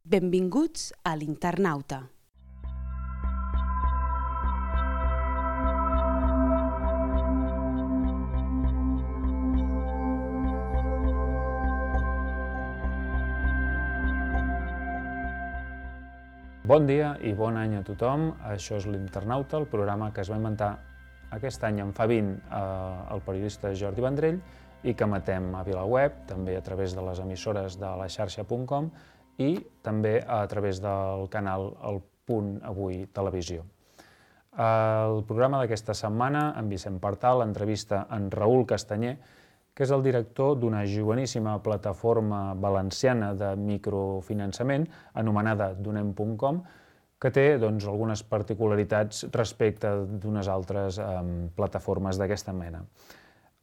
Benvinguts a l'Internauta. Bon dia i bon any a tothom. Això és l'Internauta, el programa que es va inventar aquest any en fa 20 el periodista Jordi Vendrell i que emetem a VilaWeb, també a través de les emissores de la xarxa.com i també a través del canal El Punt Avui Televisió. El programa d'aquesta setmana, en Vicent Partal, entrevista en Raül Castanyer, que és el director d'una joveníssima plataforma valenciana de microfinançament anomenada Donem.com, que té algunes particularitats respecte d'unes altres plataformes d'aquesta mena.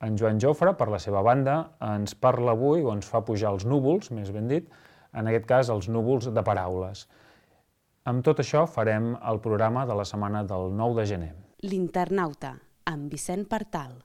En Joan Jofre, per la seva banda, ens parla avui, o ens fa pujar els núvols, més ben dit, en aquest cas els núvols de paraules. Amb tot això farem el programa de la setmana del 9 de gener. L'Internauta, amb Vicent Partal.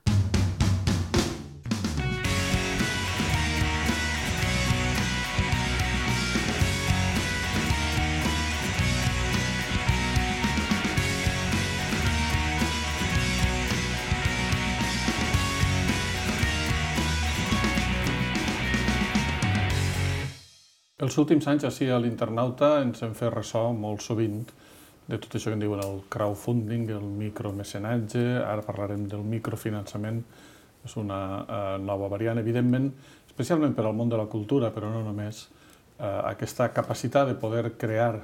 Els últims anys, així a l'Internauta, ens hem fet ressò molt sovint de tot això que en diuen el crowdfunding, el micromecenatge, ara parlarem del microfinançament, és una nova variant, evidentment, especialment per al món de la cultura, però no només, aquesta capacitat de poder crear,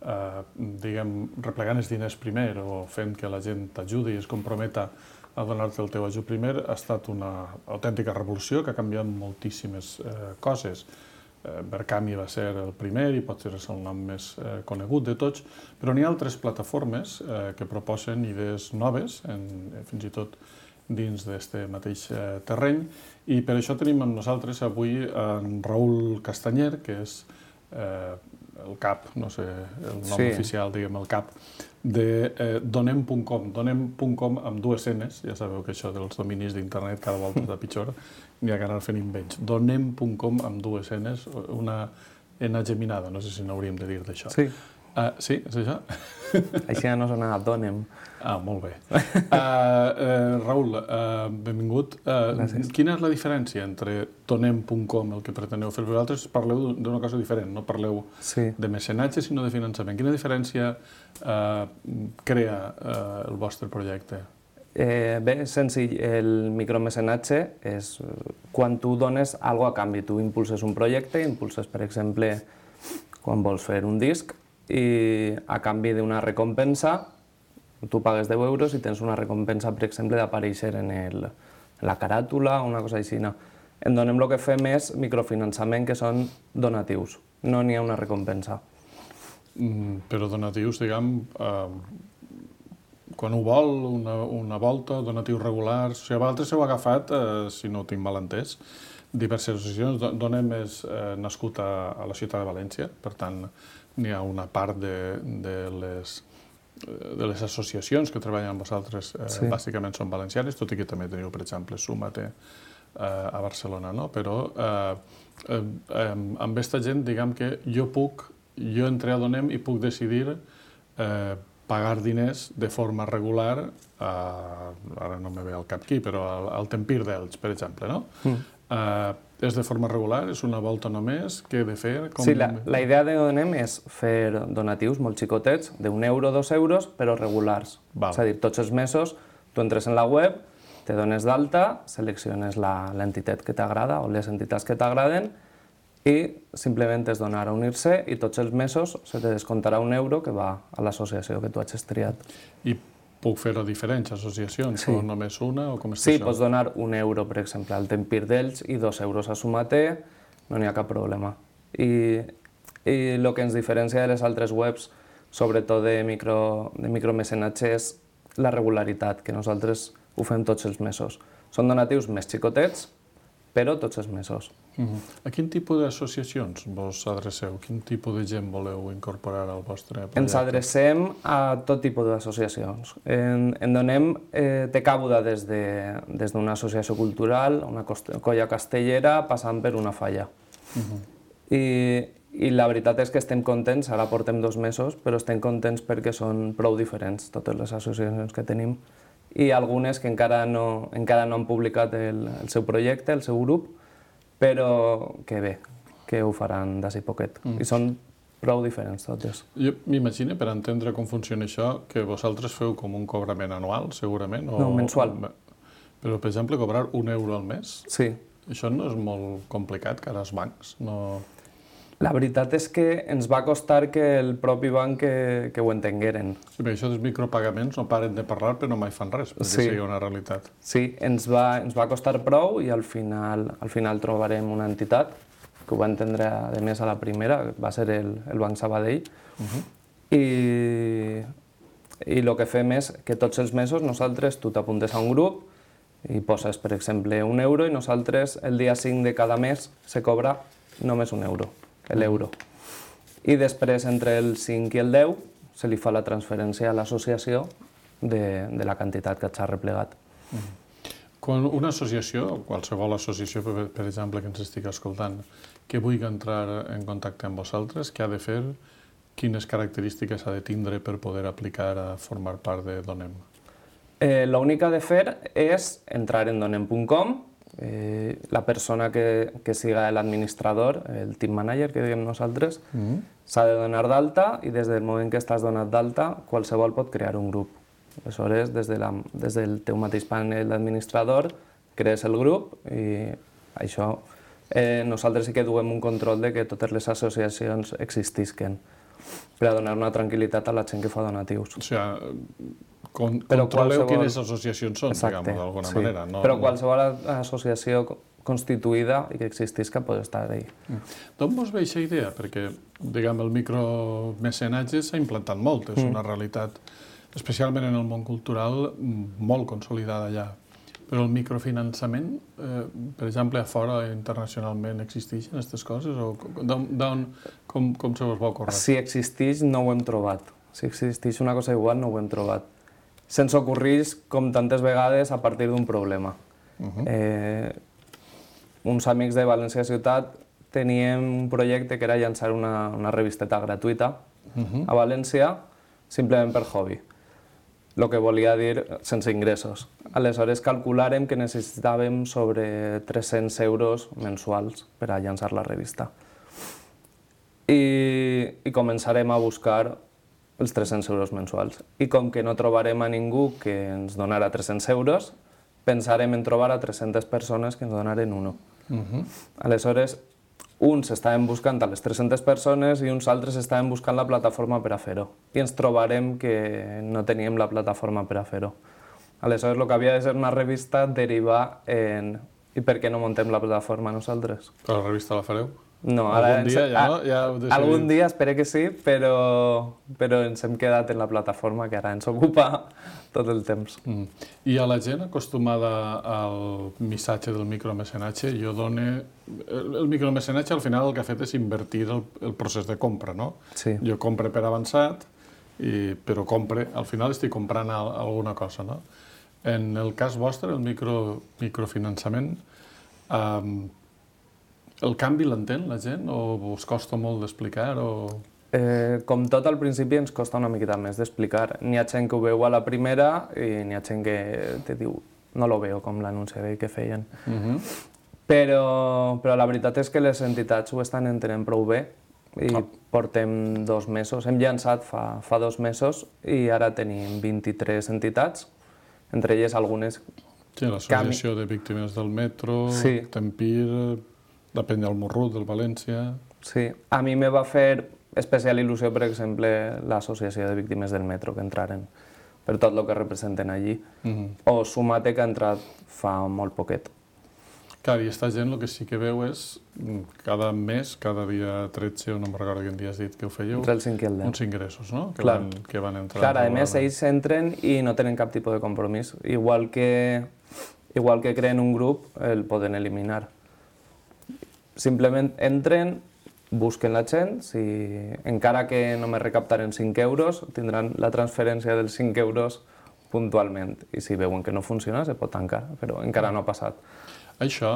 replegant els diners primer o fent que la gent t'ajudi i es comprometa a donar-te el teu ajut primer, ha estat una autèntica revolució que ha canviat moltíssimes coses. Berkami va ser el primer i potser és el nom més conegut de tots, però n'hi ha altres plataformes que proposen idees noves, fins i tot dins d'aquest mateix terreny, i per això tenim amb nosaltres avui en Raül Castanyer, que és el cap, no sé el nom oficial, diguem el cap, de Donem.com. Donem.com amb dues Ns, ja sabeu que això dels dominis d'internet cada volta és de pitjor, n'hi ha que anar fent invents. Donem.com amb dues Ns, una N geminada, no sé si n'hauríem de dir d'això. Sí. Sí, és això? Així no sona Donem. Molt bé. Raül, benvingut. Gràcies. Quina és la diferència entre Donem.com, el que preteneu fer? Vosaltres parleu d'una cosa diferent, no parleu de mecenatge, sinó de finançament. Quina diferència crea el vostre projecte? Bé, és senzill. El micromecenatge és quan tu dones alguna cosa a canvi. Tu impulses un projecte, impulses, per exemple, quan vols fer un disc, i a canvi d'una recompensa, tu pagues 10 euros i tens una recompensa, per exemple, d'aparèixer en la caràtula o una cosa així. En Donem el que fem és microfinançament, que són donatius. No n'hi ha una recompensa. Però donatius, diguem, quan ho vol, una volta, donatius regulars... O sigui, vosaltres heu agafat, si no ho tinc mal entès, diverses associacions. Donem és nascut a la ciutat de València, per tant, n'hi ha una part de les associacions que treballen amb vosaltres, bàsicament són valencianes, tot i que també teniu, per exemple, Súmate a Barcelona, no? Però amb aquesta gent, diguem que jo entré a Donem i puc decidir pagar diners de forma regular, ara no me ve al cap qui, però al Tempir d'Elx, per exemple, no? És de forma regular? És una volta només? Què he de fer? Sí, la idea de Donem és fer donatius molt xicotets, d'1 euro, 2 euros, però regulars. És a dir, tots els mesos tu entres en la web, te dones d'alta, selecciones l'entitat que t'agrada o les entitats que t'agraden i simplement és donar a unir-se i tots els mesos se te descomptarà 1 euro que va a l'associació que tu hagis triat. I puc fer a diferents associacions, o només una, o com està això? Sí, això? pots donar 1 euro, per exemple, al Tempir d'Elx i 2 euros a Súmate, no n'hi ha cap problema. I el que ens diferencia de les altres webs, sobretot de micromecenatge, és la regularitat, que nosaltres ho fem tots els mesos. Són donatius més xicotets, però tots els mesos. A quin tipus d'associacions vos adreceu? Quin tipus de gent voleu incorporar al vostre projecte? Ens adrecem a tot tipus d'associacions. En Donem té cabuda des d'una associació cultural, una colla castellera, passant per una falla. I I la veritat és que estem contents, ara portem 2 mesos, però estem contents perquè són prou diferents totes les associacions que tenim i algunes que encara no han publicat el seu projecte, el seu grup, però que bé, que ho faran d'ací poquet. I són prou diferents totes. Jo m'imagino, per entendre com funciona això, que vosaltres feu com un cobrament anual, segurament? No, mensual. Però, per exemple, cobrar €1 al mes? Sí. Això no és molt complicat, cara als bancs? No... La veritat és que ens va costar que el propi banc que ho entengueren. Sí, perquè això dels micropagaments no paren de parlar, però mai fan res, perquè sigui una realitat. Sí, ens va costar prou i al final trobarem una entitat que ho va entendre, a més, a la primera, que va ser el Banc Sabadell. I el que fem és que tots els mesos nosaltres, tu t'apuntes a un grup i poses, per exemple, €1 i nosaltres el dia 5 de cada mes se cobra només €1, l'euro. I després, entre el 5 i el 10, se li fa la transferència a l'associació de la quantitat que s'ha replegat. Quan una associació, qualsevol associació, per exemple, que ens estigui escoltant, que vulgui entrar en contacte amb vosaltres, què ha de fer, quines característiques ha de tindre per poder aplicar a formar part de Donem? L'únic que ha de fer és entrar en donem.com. La persona que siga l'administrador, el team manager que diem nosaltres, s'ha de donar d'alta i des del moment que estàs donat d'alta, qualsevol pot crear un grup. Aleshores, des del teu mateix panel d'administrador, crees el grup i això nosaltres sí que duem un control de que totes les associacions existisquen per a donar una tranquil·litat a la gent que fa donatius. O sigui, controleu quines associacions són, diguem-ho, d'alguna manera. Però qualsevol associació constituïda i que existisca pot estar ahí. D'on vos ve aquesta idea? Perquè, diguem, el micromecenatge s'ha implantat molt, és una realitat, especialment en el món cultural, molt consolidada allà. Però el microfinançament, per exemple, a fora internacionalment existeixen aquestes coses? Com se vos va ocórrer? Si existeix, no ho hem trobat. Si existeix una cosa igual, no ho hem trobat. Se'ns ocorreix, com tantes vegades, a partir d'un problema. Uns amics de València Ciutat teníem un projecte que era llançar una revisteta gratuïta a València, simplement per hobby. El que volia dir sense ingressos. Aleshores calculàrem que necessitàvem sobre 300 € mensuals per a llançar la revista. I començarem a buscar els 300 € mensuals. I com que no trobarem a ningú que ens donara 300 €, pensarem en trobar a 300 persones que ens donaren uno. Aleshores, uns estaven buscant a les 300 persones i uns altres estaven buscant la plataforma per a fer-ho. I ens trobarem que no teníem la plataforma per a fer-ho. Aleshores, el que havia de ser una revista deriva en... I per què no muntem la plataforma nosaltres? Però la revista la fareu? No, ara... Algun dia ja no? Ja ho decidim. Algun dia, espero que sí, però ens hem quedat en la plataforma que ara ens ocupa tot el temps. I a la gent acostumada al missatge del micromecenatge, el micromecenatge al final el que ha fet és invertir el procés de compra, no? Sí. Jo compre per avançat, però al final estic comprant alguna cosa, no? En el cas vostre, el microfinançament, el canvi l'entén la gent o us costa molt d'explicar? Com tot, al principi ens costa una miqueta més d'explicar. N'hi ha gent que ho veu a la primera i n'hi ha gent que te diu no lo veo, com l'anunci que feien. Però la veritat és que les entitats ho estan entenent prou bé i portem 2 mesos. Hem llançat fa 2 mesos i ara tenim 23 entitats, entre elles algunes... Sí, l'Associació de Víctimes del Metro, Tempir, la Penya al Morrut, del València... Sí, a mi me va fer especial il·lusió, per exemple, l'Associació de Víctimes del Metro, que entraren per tot el que representen allí. O Sumate, que ha entrat fa molt poquet. Clar, i aquesta gent el que sí que veu és cada mes, cada dia 13, o no me'n recordo quin dia has dit que ho fèieu, entre el 5 i el 10. Uns ingressos, no? Que van entrar. Clar, a més, ells entren i no tenen cap tipus de compromís. Igual que creen un grup, el poden eliminar. Simplement entren, busquen la gent, encara que només recaptaren 5 euros, tindran la transferència dels 5 euros puntualment. I si veuen que no funciona, se pot tancar, però encara no ha passat. Això,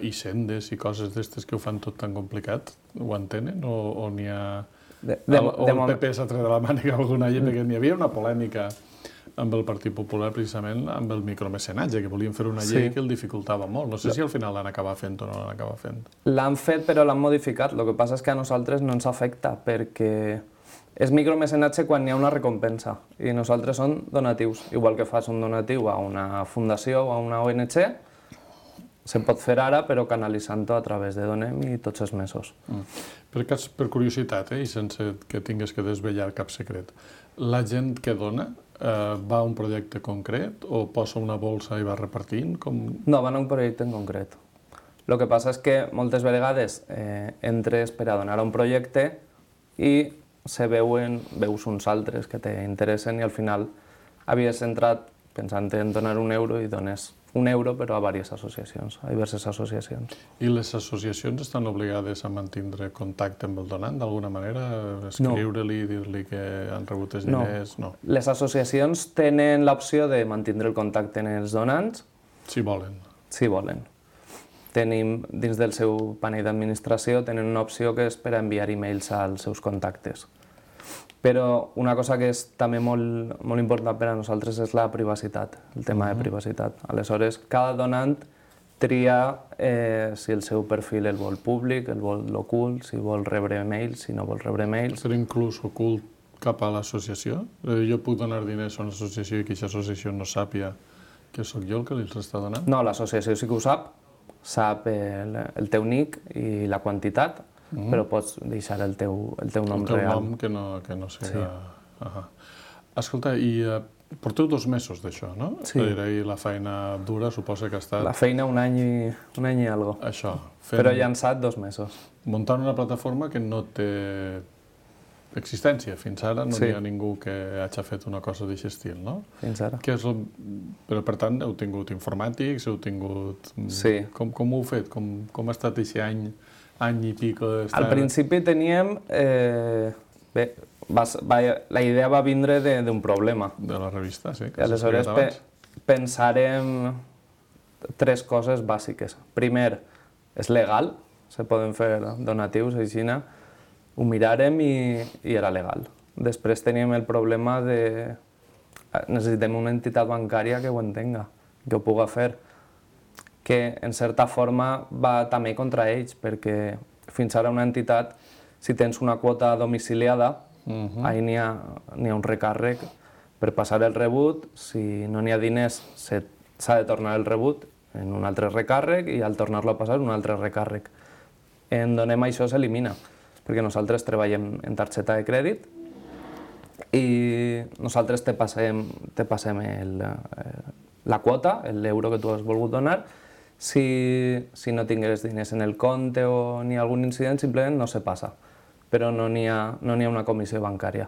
i sendes i coses d'estes que ho fan tot tan complicat, ho entenen o n'hi ha... O el PP s'ha tret de la màniga alguna llei, perquè n'hi havia una polèmica amb el Partit Popular precisament amb el micromecenatge, que volien fer una llei que el dificultava molt. No sé si al final l'han acabat fent o no l'han acabat fent. L'han fet però l'han modificat, el que passa és que a nosaltres no ens afecta perquè és micromecenatge quan hi ha una recompensa i nosaltres són donatius. Igual que fas un donatiu a una fundació o a una ONG, se pot fer ara però canalitzant-ho a través de Donem i tots els mesos. Per curiositat, i sense que tingues que desvetllar cap secret, la gent que dona va a un projecte concret o posa una bolsa i va repartint? No, van a un projecte en concret. El que passa és que moltes vegades entres per a donar a un projecte i veus uns altres que t'interessen i al final havies entrat pensant en donar €1 i dones €1 però a diverses associacions, a diverses associacions. I les associacions estan obligades a mantindre contacte amb el donant d'alguna manera? Escriure-li, dir-li que han rebut els diners? No. Les associacions tenen l'opció de mantindre el contacte amb els donants. Si volen. Si volen. Tenim, dins del seu panell d'administració, tenen una opció que és per enviar e-mails als seus contactes. Però una cosa que és també molt important per a nosaltres és la privacitat, el tema de privacitat. Aleshores, cada donant tria si el seu perfil el vol públic, el vol ocult, si vol rebre mails, si no vol rebre mails. Ser inclús ocult cap a l'associació? Jo puc donar diners a una associació i que aquesta associació no sàpiga que sóc jo el que li està donant? No, l'associació sí que ho sap el teu nick i la quantitat, però pots deixar el teu nom real. El teu nom que no siga... Escolta, i porteu 2 mesos d'això, no? Sí. I la feina dura suposa que ha estat... La feina un any i algo. Això. Però llançat 2 mesos. Muntant una plataforma que no té existència. Fins ara no hi ha ningú que hagi fet una cosa d'aquest estil, no? Fins ara. Però, per tant, heu tingut informàtics, heu tingut... Sí. Com ho heu fet? Com ha estat aquest any i pico? Al principi teníem... Bé, la idea va vindre d'un problema. De la revista, sí. Aleshores pensarem 3 coses bàsiques. Primer, és legal, se poden fer donatius, així, ho mirarem i era legal. Després teníem el problema de... Necessitem una entitat bancària que ho entenga, que ho pugui fer, que en certa forma va també contra ells, perquè fins ara una entitat, si tens una quota domiciliada, ahí n'hi ha un recàrrec per passar el rebut, si no n'hi ha diners s'ha de tornar el rebut en un altre recàrrec i al tornar-lo a passar un altre recàrrec. En Donem això s'elimina, perquè nosaltres treballem en targeta de crèdit i nosaltres te passem la quota, l'euro que tu has volgut donar. Si no tingués diners en el compte o n'hi ha algun incident, simplement no se passa, però no n'hi ha una comissió bancària.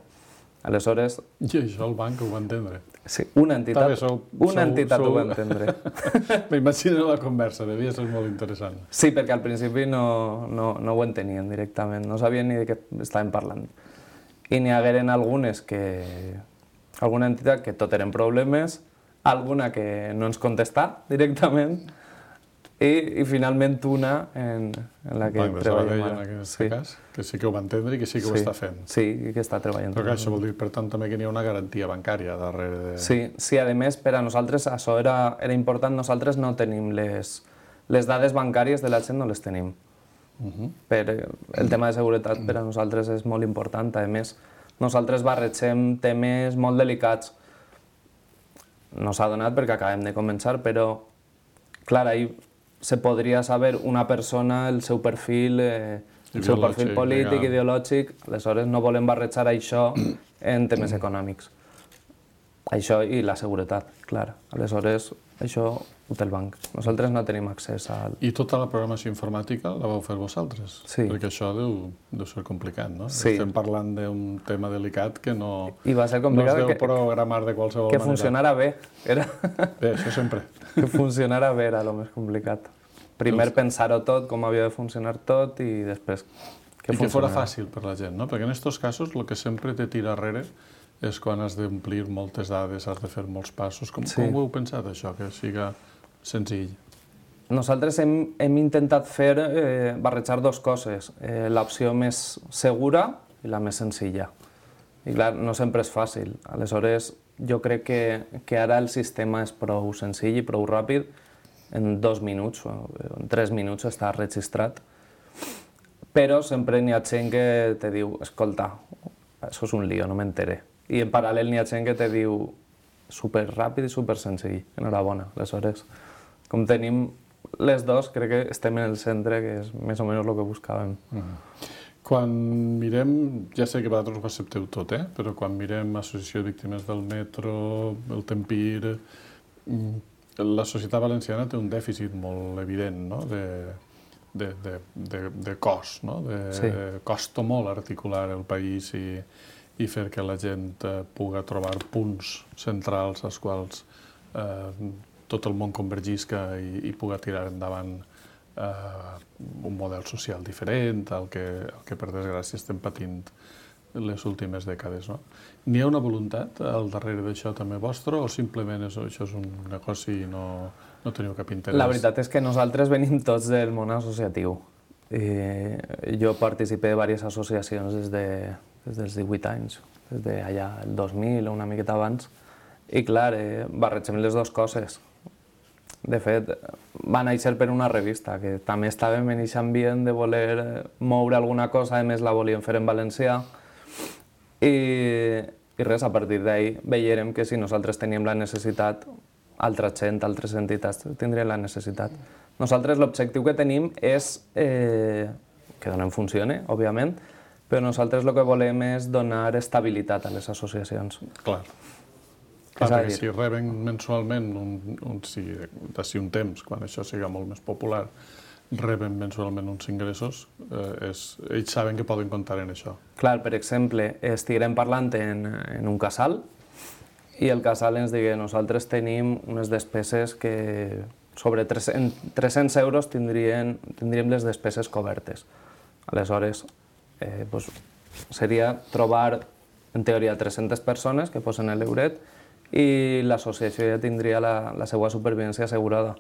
Aleshores... I això el banc ho va entendre? Sí, una entitat ho va entendre. M'imagino la conversa, devia ser molt interessant. Sí, perquè al principi no ho entenien directament, no sabien ni de què estàvem parlant. I n'hi hagueren alguna entitat que tot eren problemes, alguna que no ens contestà directament, i finalment una en la que treballem ara. En aquest cas, que sí que ho va entendre i que sí que ho està fent. Sí, i que està treballant. Però això vol dir, per tant, també que n'hi ha una garantia bancària darrere de... Sí, a més, per a nosaltres això era important. Nosaltres no tenim les dades bancàries de la gent, no les tenim. El tema de seguretat per a nosaltres és molt important. A més, nosaltres barregem temes molt delicats. No s'ha donat perquè acabem de començar, però, clar, ahir se podria saber una persona, el seu perfil polític, ideològic, aleshores no volem barrejar això en temes econòmics. Això i la seguretat, clar. Aleshores, això ho té el banc. Nosaltres no tenim accés al... I tota la programació informàtica la vau fer vosaltres? Sí. Perquè això deu ser complicat, no? Sí. Estem parlant d'un tema delicat que no es deu programar de qualsevol manera. Que funcionara bé. Bé, això sempre. Que funcionara bé era el més complicat. Primer pensar-ho tot, com havia de funcionar tot, i després que funcionara. I que fora fàcil per la gent, no? Perquè en aquests casos el que sempre te tira darrere és quan has d'omplir moltes dades, has de fer molts passos. Com ho heu pensat, això, que siga senzill? Nosaltres hem intentat barrejar dues coses, l'opció més segura i la més senzilla. I clar, no sempre és fàcil. Aleshores, jo crec que ara el sistema és prou senzill i prou ràpid. En 2 minuts o en 3 minuts està registrat. Però sempre n'hi ha gent que te diu, escolta, això és un lío, no m'enteré. I en paral·lel n'hi ha gent que te diu superràpid i supersenzill. Enhorabona. Aleshores, com tenim les dos, crec que estem en el centre, que és més o menys el que buscàvem. Quan mirem, ja sé que vosaltres ho accepteu tot, però quan mirem l'Associació de Víctimes del Metro, el Tempir, la societat valenciana té un dèficit molt evident, no? de cos, no? Sí. Costa molt articular el país i fer que la gent pugui trobar punts centrals als quals tot el món convergisca i pugui tirar endavant un model social diferent, el que per desgràcia estem patint les últimes dècades. N'hi ha una voluntat al darrere d'això també vostre o simplement això és un negoci i no teniu cap interès? La veritat és que nosaltres venim tots del món associatiu. Jo participé de diverses associacions des dels 18 anys, des d'allà el 2000 o una miqueta abans, i clar, barregem les dues coses. De fet, va néixer per una revista, que també estàvem en aquest ambient de voler moure alguna cosa, a més la volíem fer en valencià, i res, a partir d'ahir veiem que si nosaltres teníem la necessitat, altra gent, altres entitats tindrien la necessitat. Nosaltres l'objectiu que tenim és que donem funcione, òbviament, però nosaltres el que volem és donar estabilitat a les associacions. Clar. Perquè si reben mensualment, d'ací un temps, quan això siga molt més popular, reben mensualment uns ingressos, ells saben que poden comptar en això. Clar, per exemple, estiguem parlant en un casal i el casal ens digui nosaltres tenim unes despeses que sobre 300 euros tindríem les despeses cobertes. Aleshores, seria trobar, en teoria, 300 persones que posen l'euret i l'associació ja tindria la seva supervivència assegurada.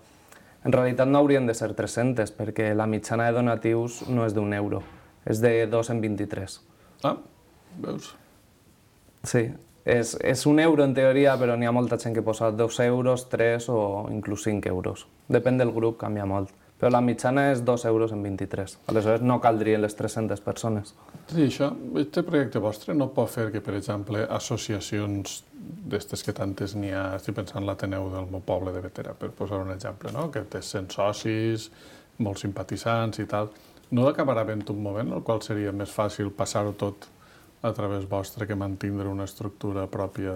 En realitat no haurien de ser 300, perquè la mitjana de donatius no és d'1 euro, és de 2 en 23. Ah, veus? Sí, és 1 euro en teoria, però n'hi ha molta gent que posa 2 euros, 3 o inclús 5 euros. Depèn del grup, canvia molt. Però la mitjana és 2 euros en 23. Aleshores no caldrien les 300 persones. Sí, això, aquest projecte vostre no pot fer que, per exemple, associacions d'estes que tantes n'hi ha, estic pensant en l'Ateneu del meu poble de Bétera, per posar un exemple, no? Que té 100 socis, molts simpatitzants i tal, no acabarà havent un moment en el qual seria més fàcil passar-ho tot a través vostre que mantindre una estructura pròpia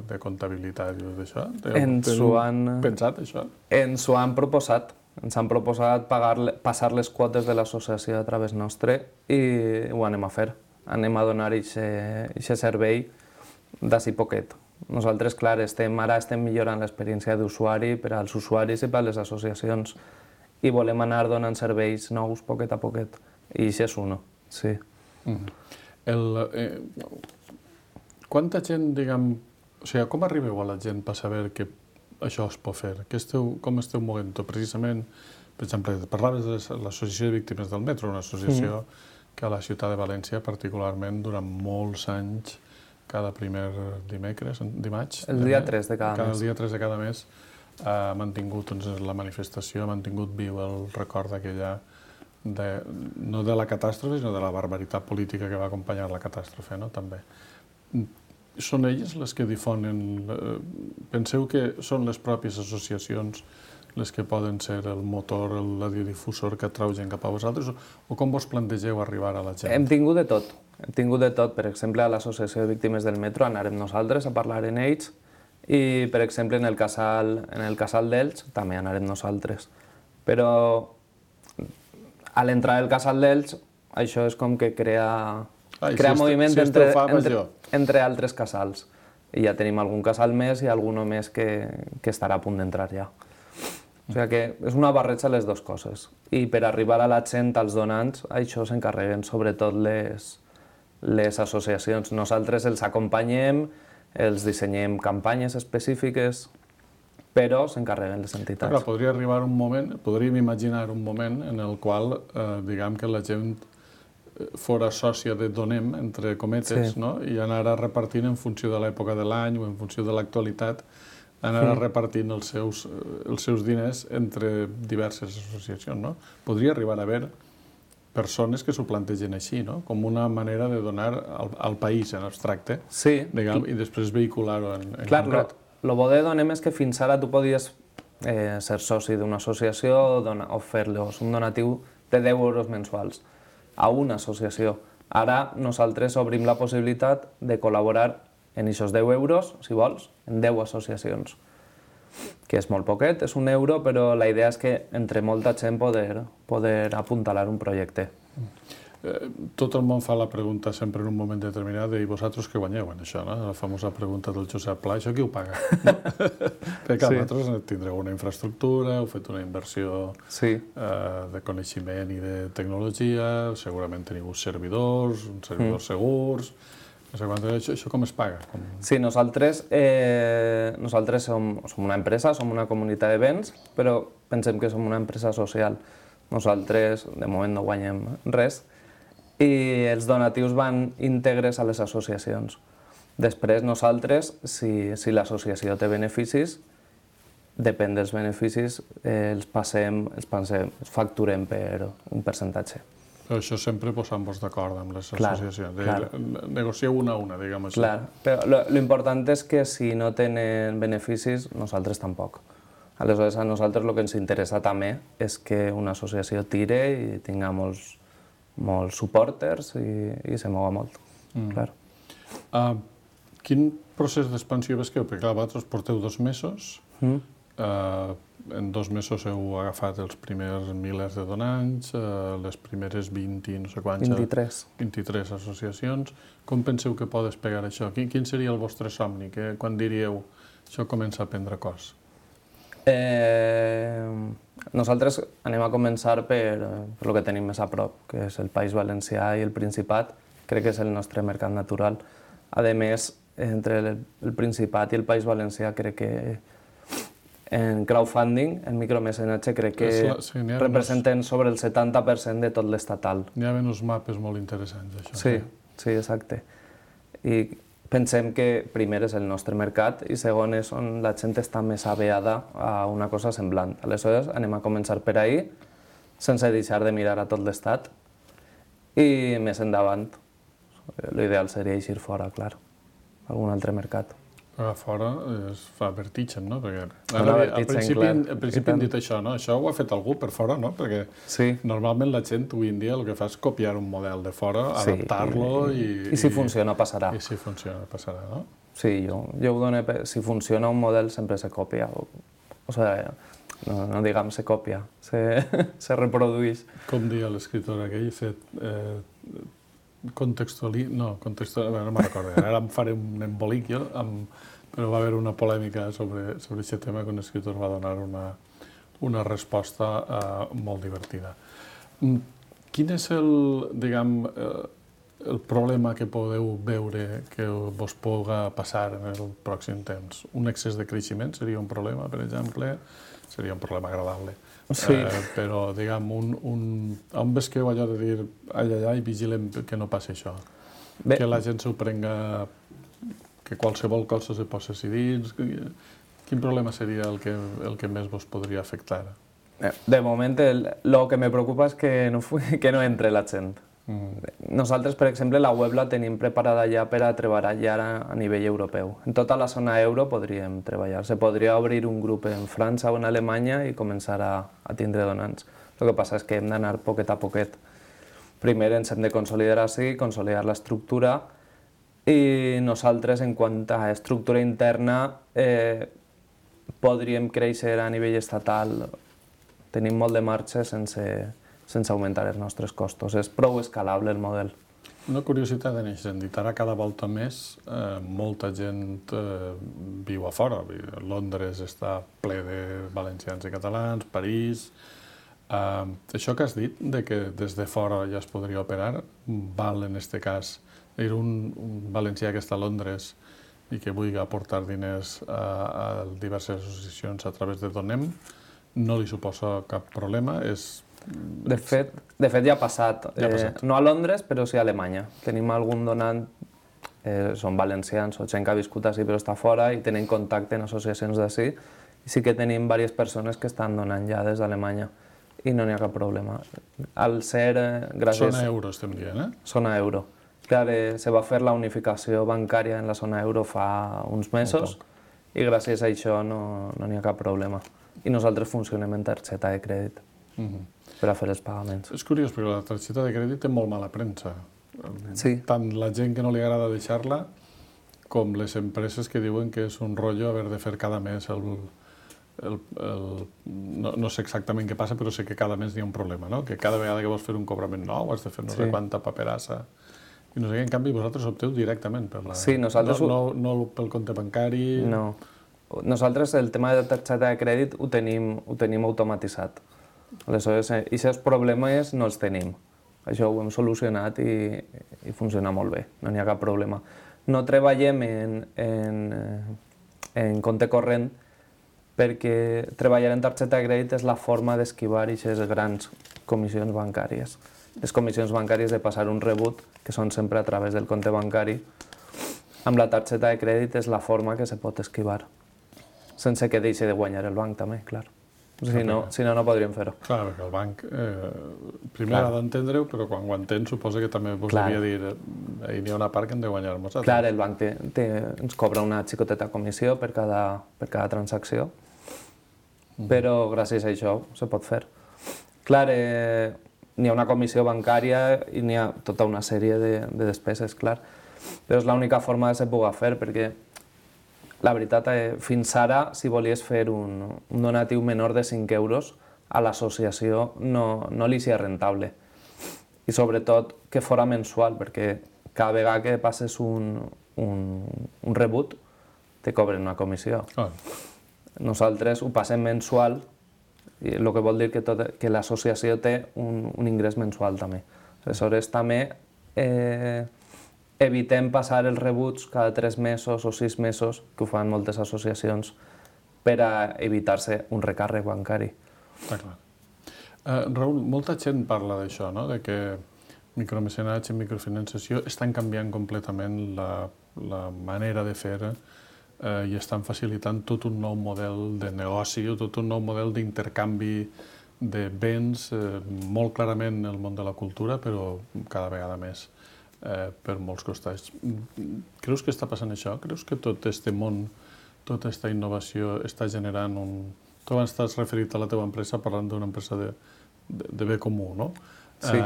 de comptabilitat i d'això? Ens ho han pensat, això? Ens ho han proposat. Ens han proposat passar les quotes de l'associació a través nostre i ho anem a fer. Anem a donar aquest servei d'ací poquet. Nosaltres, clar, ara estem millorant l'experiència d'usuari per als usuaris i per a les associacions i volem anar donant serveis nous poquet a poquet. I això és uno, sí. Quanta gent, diguem... O sigui, com arribeu a la gent per saber que això es pot fer? Com esteu movent-ho? Precisament, per exemple, parlaves de l'Associació de Víctimes del Metro, una associació que a la ciutat de València, particularment, durant molts anys, cada primer dimarts... El dia 3 de cada mes. El dia 3 de cada mes ha mantingut la manifestació, ha mantingut viu el record d'aquella, no de la catàstrofe, sinó de la barbaritat política que va acompanyar la catàstrofe, no? També. Són elles les que difonen... Penseu que són les pròpies associacions les que poden ser el motor, el radiodifusor que atrau gent cap a vosaltres? O com vos plantegeu arribar a la gent? Hem tingut de tot. Hem tingut de tot. Per exemple, a l'Associació de Víctimes del Metro anarem nosaltres a parlar en ells i, per exemple, en el casal d'Elx també anarem nosaltres. Però a l'entrada del casal d'Elx això és com que crea moviment entre altres casals. I ja tenim algun casal més i algun més que estarà a punt d'entrar ja. O sigui que és una barreja de les dues coses. I per arribar a la gent, als donants, això s'encarreguen sobretot les associacions. Nosaltres els acompanyem, els dissenyem campanyes específiques però s'encarreguen les entitats. Clar, podria arribar un moment, podríem imaginar un moment en el qual, diguem que la gent fora sòcia de Donem, entre cometes, no? I anar repartint en funció de l'època de l'any o en funció de l'actualitat, anar repartint els seus diners entre diverses associacions, no? Podria arribar a haver persones que s'ho plantegen així, no? Com una manera de donar al país en abstracte, diguem, i després vehicular-ho en concret. El bo de Donem és que fins ara tu podies ser soci d'una associació o fer-los un donatiu de 10 euros mensuals a una associació. Ara nosaltres obrim la possibilitat de col·laborar en aquests 10 euros, si vols, en 10 associacions, que és molt poquet, és €1, però la idea és que entre molta gent poder apuntalar un projecte. Tot el món fa la pregunta sempre en un moment determinat de i vosaltres què guanyeu en això, no? La famosa pregunta del Josep Pla, això qui ho paga? Perquè vosaltres tindreu una infraestructura, heu fet una inversió de coneixement i de tecnologia, segurament teniu servidors, uns servidors segurs. Això com es paga? Sí, nosaltres som una empresa, som una comunitat de béns, però pensem que som una empresa social. Nosaltres, de moment, no guanyem res i els donatius van íntegres a les associacions. Després, nosaltres, si l'associació té beneficis, depèn dels beneficis, els facturem per un percentatge. Però això sempre posant-vos d'acord amb les associacions. Negocieu una a una, diguem així. Clar, però l'important és que si no tenen beneficis, nosaltres tampoc. Aleshores, a nosaltres el que ens interessa també és que una associació tire i tinga molts supporters i se mova molt. Quin procés d'expansió vesqueu? Perquè clar, vosaltres porteu 2 mesos, en 2 mesos heu agafat els primers milers de donants, les primeres 20, no sé quants... 23 associacions. Com penseu que pot despegar això? Quin seria el vostre somni? Quan diríeu això comença a prendre cos? Nosaltres anem a començar per el que tenim més a prop, que és el País Valencià i el Principat. Crec que és el nostre mercat natural. A més, entre el Principat i el País Valencià crec que en crowdfunding, en micromecenatge, crec que representen sobre el 70% de tot l'estatal. N'hi ha uns mapes molt interessants, això. Sí, exacte. I pensem que primer és el nostre mercat i segon és on la gent està més aveada a una cosa semblant. Aleshores, anem a començar per ahir, sense deixar de mirar a tot l'estat i més endavant. L'ideal seria eixir fora, clar, a algun altre mercat. A fora es fa vertigen, no? Perquè al principi hem dit això, no? Això ho ha fet algú per fora, no? Perquè normalment la gent avui en dia el que fa és copiar un model de fora, adaptar-lo i... I si funciona, passarà. I si funciona, passarà, no? Sí, jo ho dono... Si funciona un model, sempre se copia. O sigui, no diguem se copia, se reprodueix. Com deia l'escriptor aquell, no me'n recordo, ara em faré un embolic jo, però va haver una polèmica sobre aquest tema que un escriptor va donar una resposta molt divertida. Quin és el problema que podeu veure que vos pugui passar en el pròxim temps? Un excés de creixement seria un problema, per exemple? Seria un problema agradable. Però, diguem, on vesqueu allò de dir ai, vigilem que no passi això? Que la gent s'ho prenga, que qualsevol cosa se posi dins? Quin problema seria el que més vos podria afectar? De moment, el que me preocupa és que no entre la gent. Nosaltres, per exemple, la web la tenim preparada ja per a treballar ja a nivell europeu. En tota la zona euro podríem treballar. Se podria obrir un grup en França o en Alemanya i començar a tindre donants. El que passa és que hem d'anar poquet a poquet. Primer ens hem de consolidar així, consolidar l'estructura i nosaltres, en quant a estructura interna, podríem créixer a nivell estatal. Tenim molt de marge sense augmentar els nostres costos. És prou escalable el model. Una curiositat en aquest sentit. Ara cada volta més molta gent viu a fora. Londres està ple de valencians i catalans, París... Això que has dit, que des de fora ja es podria operar, val en aquest cas. Un valencià que està a Londres i que vulgui aportar diners a diverses associacions a través de Donem, no li suposa cap problema. De fet, ja ha passat. No a Londres, però sí a Alemanya. Tenim algun donant, són valencians o gent que ha viscut així però està fora i tenen contacte en associacions d'ací. I sí que tenim diverses persones que estan donant ja des d'Alemanya i no n'hi ha cap problema. Al ser, gràcies... Zona euro estem dient, Zona euro. Clar, se va fer la unificació bancària en la zona euro fa uns mesos i gràcies a això no n'hi ha cap problema. I nosaltres funcionem en targeta de crèdit per a fer els pagaments. És curiós, perquè la targeta de crèdit té molt mala premsa. Sí. Tant la gent que no li agrada deixar-la com les empreses que diuen que és un rotllo haver de fer cada mes no sé exactament què passa, però sé que cada mes hi ha un problema, no? Que cada vegada que vols fer un cobrament nou has de fer no sé quanta paperassa. I no sé què, en canvi, vosaltres opteu directament per la... Sí, nosaltres... No pel compte bancari... No. Nosaltres el tema de targeta de crèdit ho tenim automatitzat. Aleshores, aquests problemes no els tenim. Això ho hem solucionat i funciona molt bé, no n'hi ha cap problema. No treballem en compte corrent perquè treballar en targeta de crèdit és la forma d'esquivar aquestes grans comissions bancàries. Les comissions bancàries de passar un rebut, que són sempre a través del compte bancari, amb la targeta de crèdit és la forma que se pot esquivar, sense que deixi de guanyar el banc també, clar. Si no, no podríem fer-ho. Clar, perquè el banc primer ha d'entendre-ho, però quan ho entén suposa que també vos devia dir hi ha una part que hem de guanyar nosaltres. Clar, el banc ens cobra una xicoteta comissió per cada transacció, però gràcies a això se pot fer. Clar, n'hi ha una comissió bancària i n'hi ha tota una sèrie de despeses, clar. Però és l'única forma de se pugui fer, perquè la veritat, fins ara, si volies fer un donatiu menor de 5 euros, a l'associació no li sia rentable. I sobretot que fora mensual, perquè cada vegada que passes un rebut, te cobren una comissió. Nosaltres ho passem mensual, el que vol dir que l'associació té un ingrés mensual també. Aleshores, també evitem passar els rebuts cada 3 mesos o 6 mesos, que ho fan moltes associacions, per a evitar-se un recàrrec bancari. Està clar. Raül, molta gent parla d'això, no? De que micromecenatge i microfinanciació estan canviant completament la manera de fer i estan facilitant tot un nou model de negoci, tot un nou model d'intercanvi de béns, molt clarament el món de la cultura, però cada vegada més per molts costats. Creus que està passant això? Creus que tot aquest món, tota aquesta innovació està generant un... Tu abans t'has referit a la teva empresa parlant d'una empresa de bé comú, no? Sí.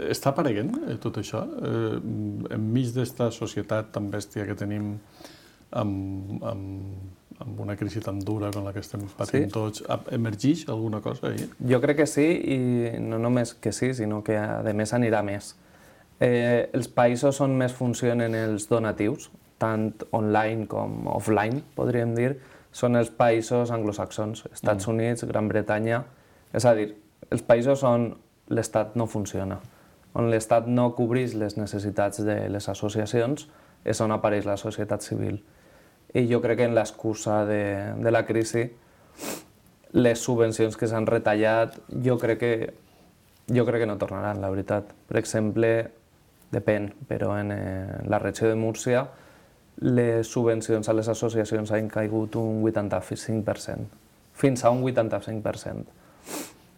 Està apareguent tot això? Enmig d'esta societat tan bèstia que tenim amb una crisi tan dura com la que estem patint tots, emergeix alguna cosa ahí? Jo crec que sí, i no només que sí, sinó que a més anirà més. Els països on més funcionen els donatius, tant online com offline, podríem dir, són els països anglosaxons, Estats Units, Gran Bretanya. És a dir, els països on l'Estat no funciona, on l'Estat no cobreix les necessitats de les associacions, és on apareix la societat civil. I jo crec que en l'excusa de la crisi, les subvencions que s'han retallat, jo crec que no tornaran, la veritat. Per exemple, depèn, però en la regió de Múrcia les subvencions a les associacions han caigut un 85%, fins a un 85%.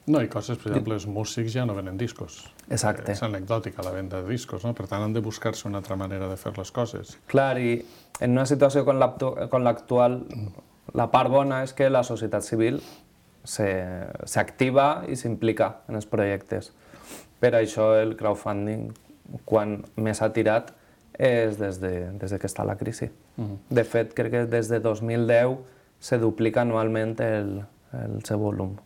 No, i coses, per exemple, els músics ja no venen discos. Exacte. És anecdòtica la venda de discos, no? Per tant, han de buscar-se una altra manera de fer les coses. Clar, i en una situació com l'actual, la part bona és que la societat civil s'activa i s'implica en els projectes. Per això el crowdfunding, quan més ha tirat, és des que està la crisi. De fet, crec que des de 2010 se duplica anualment el seu volum.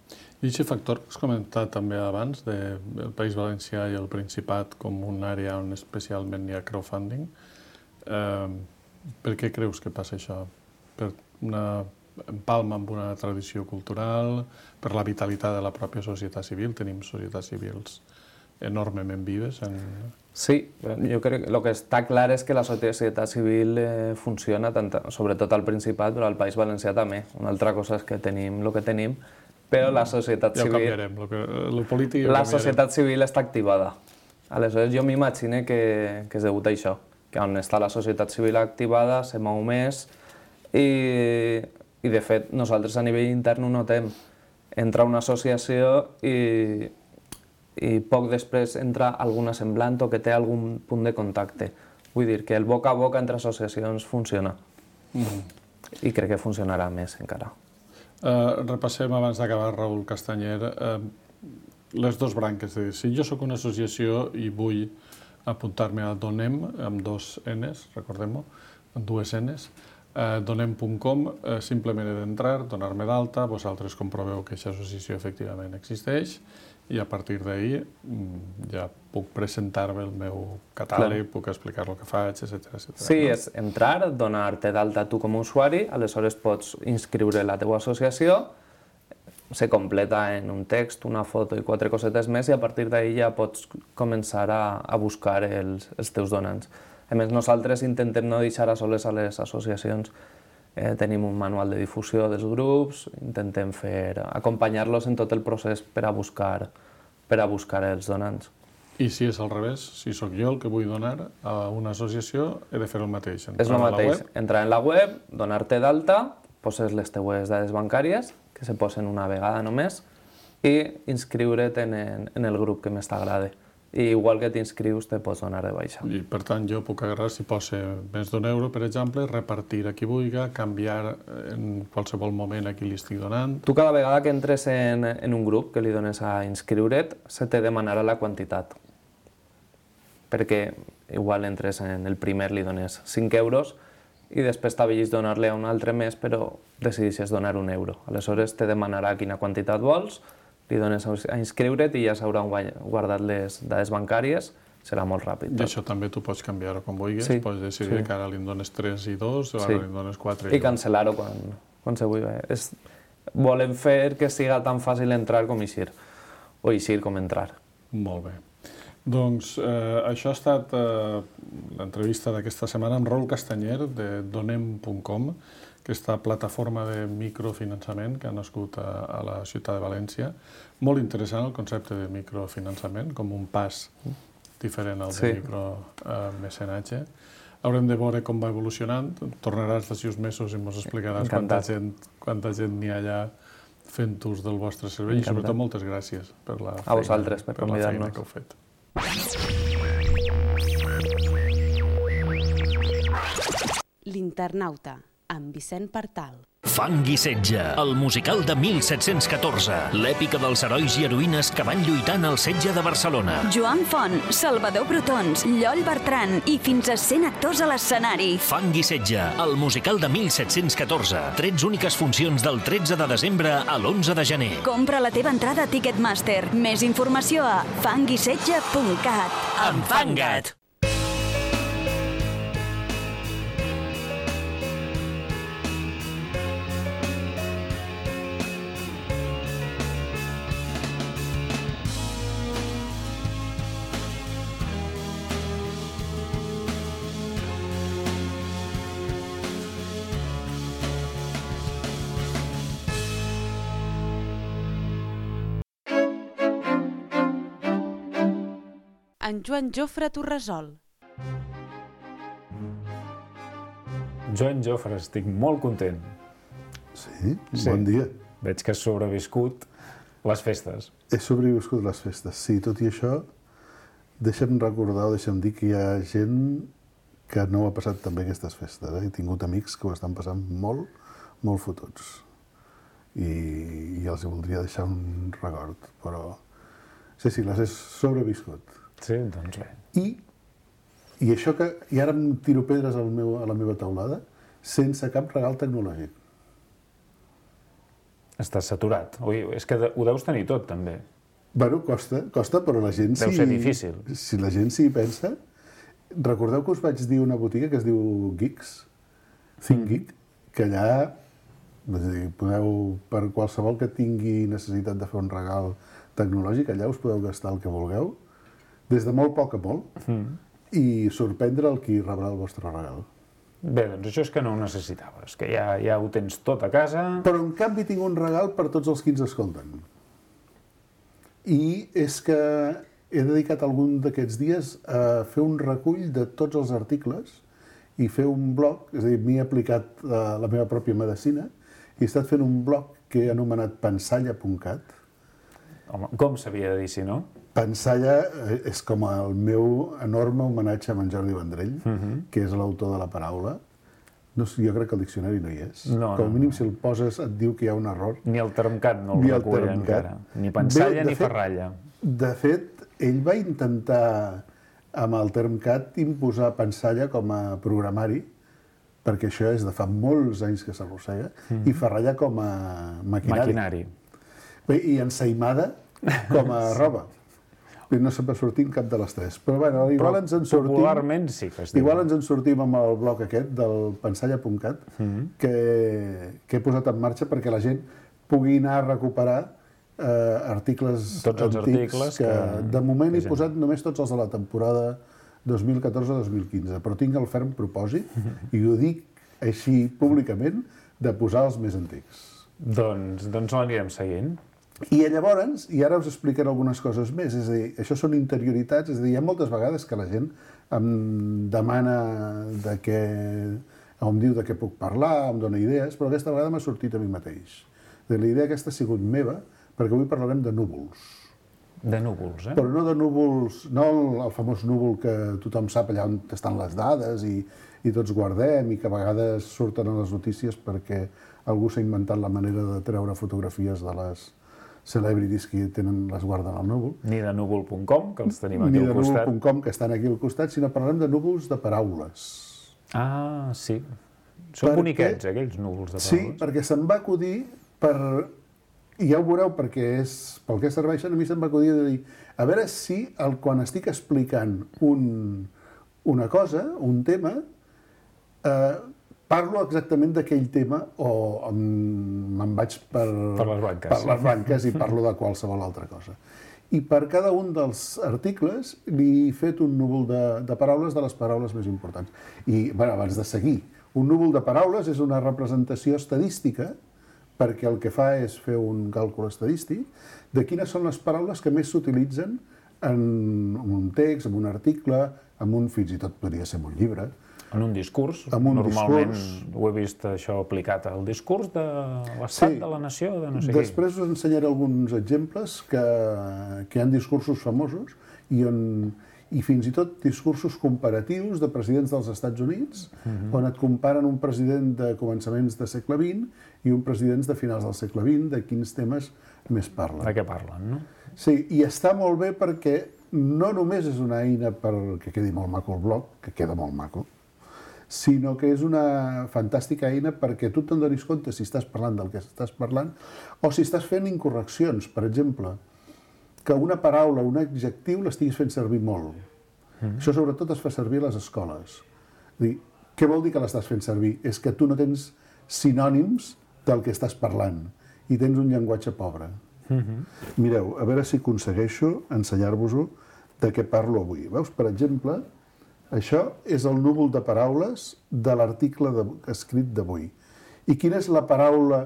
I aquest factor que has comentat també abans, del País Valencià i el Principat com una àrea on especialment hi ha crowdfunding, per què creus que passa això? Per una empalma amb una tradició cultural, per la vitalitat de la pròpia societat civil? Tenim societats civils enormement vives. Sí, jo crec que el que està clar és que la societat civil funciona, sobretot al Principat, però al País Valencià també. Una altra cosa és que tenim el que tenim, però la societat civil... Ja ho canviarem, el polític... La societat civil està activada. Aleshores, jo m'imagino que és degut a això, que on està la societat civil activada, se mou més, i de fet, nosaltres a nivell intern ho notem. Entra una associació i poc després entra alguna semblant o que té algun punt de contacte. Vull dir que el boca a boca entre associacions funciona. I crec que funcionarà més encara. Repassem, abans d'acabar, Raül Castanyer, les dues branques. Si jo sóc una associació i vull apuntar-me a Donem, amb dos Ns, recordem-ho, amb dues Ns, donem.com, simplement he d'entrar, donar-me d'alta, vosaltres comproveu que aquesta associació efectivament existeix i a partir d'ahir ja puc presentar-me el meu catàleg, puc explicar el que faig, etc. Sí, és entrar, donar-te d'alta tu com a usuari, aleshores pots inscriure la teva associació, se completa en un text, una foto i 4 cosetes més i a partir d'ahir ja pots començar a buscar els teus donants. A més, nosaltres intentem no deixar a soles a les associacions. Tenim un manual de difusió dels grups, intentem acompanyar-los en tot el procés per a buscar els donants. I si és al revés, si sóc jo el que vull donar a una associació, he de fer el mateix. És el mateix, entrar en la web, donar-te d'alta, poses les teues dades bancàries, que se posen una vegada només, i inscriure't en el grup que més t'agrada. I igual que t'inscrius, te pots donar de baixa. I per tant, jo puc agarrar, si posa més d'1 euro, per exemple, repartir a qui vulgui, canviar en qualsevol moment a qui li estic donant. Tu cada vegada que entres en un grup que li dones a inscriure't, se te demanarà la quantitat. Perquè igual entres en el primer, li dones 5 euros i després t'avellis donar-li a un altre més, però decideixes donar 1 euro. Aleshores te demanarà quina quantitat vols, li dones a inscriure't i ja s'hauran guardat les dades bancàries, serà molt ràpid. I això també tu pots canviar-ho quan vulguis, pots decidir que ara li dones 3 i 2, o ara li dones 4 i 2. I cancel·lar-ho quan se vulgui. Volem fer que siga tan fàcil entrar com eixir, o eixir com entrar. Molt bé. Doncs això ha estat l'entrevista d'aquesta setmana amb Raül Castanyer de donem.com, aquesta plataforma de microfinançament que ha nascut a la ciutat de València. Molt interessant el concepte de microfinançament, com un pas diferent al de micromecenatge. Haurem de veure com va evolucionant. Tornaràs d'aquí uns mesos i ens explicaràs quanta gent n'hi ha allà fent ús del vostre servei. I sobretot moltes gràcies per la feina que heu fet. L'Internauta, amb Vicent Partal. Fang i setge, el musical de 1714, l'èpica dels herois i heroïnes que van lluitar en el setge de Barcelona. Joan Font, Salvador Brotons, Lloll Bertran i fins a 100 actors a l'escenari. Fang i setge, el musical de 1714. 13 úniques funcions del 13 de desembre a l'11 de gener. Compra la teva entrada a Ticketmaster. Més informació a fanguisetge.cat. Enfanga't! En Joan Jofre Torresol. Joan Jofre, estic molt content. Sí? Bon dia. Veig que has sobreviscut les festes. He sobreviscut les festes, sí. Tot i això, deixa'm recordar o deixa'm dir que hi ha gent que no ho ha passat tan bé aquestes festes. He tingut amics que ho estan passant molt, molt fotuts. I els voldria deixar un record, però sí, les he sobreviscut. Sí, doncs bé. I això que... I ara em tiro pedres a la meva teulada sense cap regal tecnològic. Estàs saturat. Ui, és que ho deus tenir tot, també. Bueno, costa, però la gent Deu ser difícil. Si la gent s'hi pensa... Recordeu que us vaig dir una botiga que es diu Geeks, ThinkGeek, que allà podeu, per qualsevol que tingui necessitat de fer un regal tecnològic, allà us podeu gastar el que vulgueu des de molt poc a molt, i sorprendre el qui rebrà el vostre regal. Bé, doncs això és que no ho necessitaves, que ja ho tens tot a casa. Però en canvi tinc un regal per tots els qui ens escolten. I és que he dedicat algun d'aquests dies a fer un recull de tots els articles i fer un blog, és a dir, m'he aplicat la meva pròpia medicina i he estat fent un blog que he anomenat pensalla.cat. Home, com s'havia de dir, si no? Pensalla és com el meu enorme homenatge a en Jordi Vendrell, que és l'autor de la paraula. No sé, jo crec que el diccionari no hi és. No, com a mínim, si el poses, et diu que hi ha un error. Ni el termcat no el recull encara. Ni pensalla ni ferralla. De fet, ell va intentar, amb el termcat, imposar pensalla com a programari, perquè això és de fa molts anys que s'arrossega, i ferralla com a maquinari. Bé, i ensaïmada com a roba. No se'n va sortir cap de les tres. Però bueno, igual ens en sortim... Popularment sí que es diu. Igual ens en sortim amb el blog aquest del pensalla.cat que he posat en marxa perquè la gent pugui anar a recuperar articles tots els articles que de moment he posat només tots els de la temporada 2014-2015, però tinc el ferm propòsit, i ho dic així públicament, de posar els més antics. Doncs l'anirem seguint. I llavors, i ara us explicaré algunes coses més, és a dir, això són interioritats, és a dir, hi ha moltes vegades que la gent em demana em diu de què puc parlar, em dona idees, però aquesta vegada m'ha sortit a mi mateix. La idea aquesta ha sigut meva, perquè avui parlarem de núvols. De núvols, eh? Però no de núvols, no el famós núvol que tothom sap allà on estan les dades i tots guardem i que a vegades surten a les notícies perquè algú s'ha inventat la manera de treure fotografies de les celebrities que les guarden al núvol. Ni de núvol.com, que els tenim aquí al costat. Ni de núvol.com, que estan aquí al costat, sinó parlem de núvols de paraules. Ah, sí. Són boniquets, aquells núvols de paraules. Sí, perquè se'm va acudir i ja ho veureu perquè és pel que serveixen, a mi se'm va acudir de dir a veure si quan estic explicant una cosa, un tema, parlo exactament d'aquell tema o me'n vaig per les banques i parlo de qualsevol altra cosa. I per cada un dels articles li he fet un núvol de paraules de les paraules més importants. I, bé, abans de seguir, un núvol de paraules és una representació estadística perquè el que fa és fer un càlcul estadístic de quines són les paraules que més s'utilitzen en un text, en un article, fins i tot podria ser en un llibre. En un discurs. Normalment ho he vist això aplicat al discurs de l'estat, de la nació, de no sé què. Després us ensenyaré alguns exemples que hi ha discursos famosos i fins i tot discursos comparatius de presidents dels Estats Units, on et comparen un president de començaments del segle XX i un president de finals del segle XX, de quins temes més parlen. De què parlen, no? Sí, i està molt bé perquè no només és una eina perquè quedi molt maco el blog, que queda molt maco, sinó que és una fantàstica eina perquè tu te'n donis compte si estàs parlant del que estàs parlant o si estàs fent incorreccions. Per exemple, que una paraula, un adjectiu, l'estiguis fent servir molt. Això sobretot es fa servir a les escoles. Què vol dir que l'estàs fent servir? És que tu no tens sinònims del que estàs parlant i tens un llenguatge pobre. Mireu, a veure si aconsegueixo ensenyar-vos-ho de què parlo avui. Veus, per exemple, això és el núvol de paraules de l'article escrit d'avui. I quina és la paraula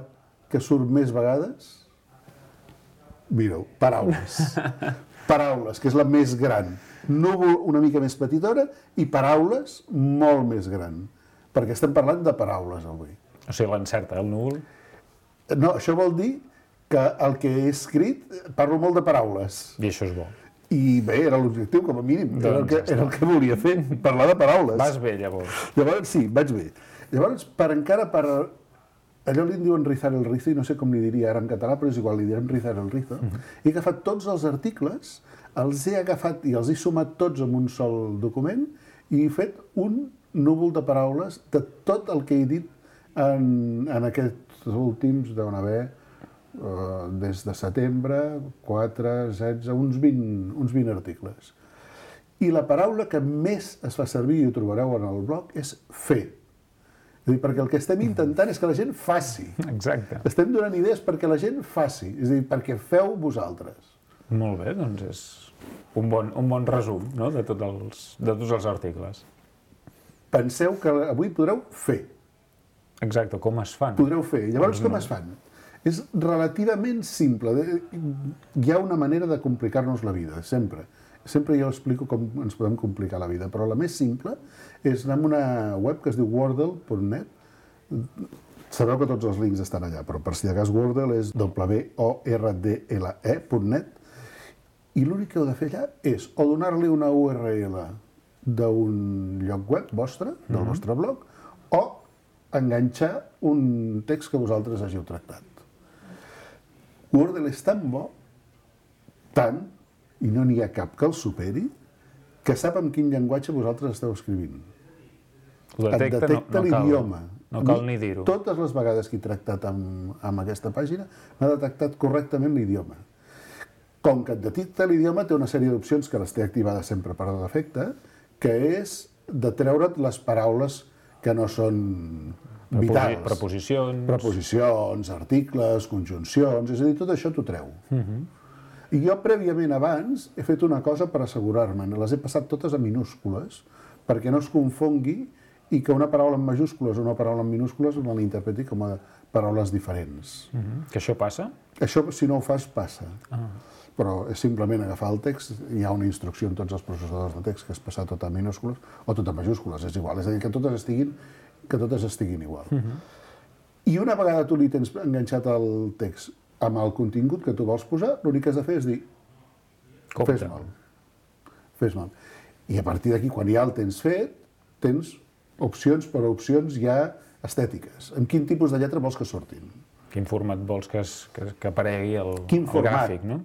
que surt més vegades? Mireu, paraules. Paraules, que és la més gran. Núvol una mica més petitona i paraules molt més gran. Perquè estem parlant de paraules avui. O sigui, l'encerta el núvol? No, això vol dir que el que he escrit parlo molt de paraules. I això és bo. I bé, era l'objectiu, com a mínim. Era el que volia fer, parlar de paraules. Vas bé, llavors. Llavors, sí, vaig bé. Llavors, allò li diuen rizar el rizo, i no sé com li diria ara en català, però és igual, li direm rizar el rizo. He agafat tots els articles, els he agafat i els he sumat tots en un sol document i he fet un núvol de paraules de tot el que he dit en aquests últims, deuen haver des de setembre, 4, 16, uns 20 articles. I la paraula que més es fa servir, i ho trobareu en el blog, és fer. És a dir, perquè el que estem intentant és que la gent faci. Exacte. Estem donant idees perquè la gent faci, és a dir, perquè feu vosaltres. Molt bé, doncs un bon resum, no?, de tots els articles. Penseu que avui podreu fer. Exacte, com es fan. Podreu fer. Llavors, com es fan? És relativament simple. Hi ha una manera de complicar-nos la vida, sempre. Sempre jo explico com ens podem complicar la vida, però la més simple és anar a una web que es diu wordle.net. Sabeu que tots els links estan allà, però per si de cas Wordle és wordle.net, i l'únic que heu de fer allà és o donar-li una URL d'un lloc web vostre, del vostre blog, o enganxar un text que vosaltres hàgiu tractat. Wordle és tan bo, tant, i no n'hi ha cap que el superi, que sap en quin llenguatge vosaltres esteu escrivint. Et detecta l'idioma. No cal ni dir-ho. Totes les vegades que he tractat amb aquesta pàgina m'ha detectat correctament l'idioma. Com que et detecta l'idioma, té una sèrie d'opcions que les té activades sempre per defecte, que és de treure't les paraules que no són vitals. Preposicions, articles, conjuncions, és a dir, tot això t'ho treu. I jo, prèviament abans, he fet una cosa per assegurar-me. Les he passat totes a minúscules, perquè no es confongui i que una paraula en majúscules o una paraula en minúscules me l'interpreti com a paraules diferents. Que això passa? Això, si no ho fas, passa. Però és simplement agafar el text, hi ha una instrucció en tots els processadors de text que és passar tot a minúscules o tot a majúscules, és igual. És a dir, que totes estiguin igual. I una vegada tu li tens enganxat el text amb el contingut que tu vols posar, l'únic que has de fer és dir fes-me'l. I a partir d'aquí, quan ja el tens fet, tens opcions per opcions ja estètiques. En quin tipus de lletra vols que surtin? Quin format vols que aparegui el gràfic, no?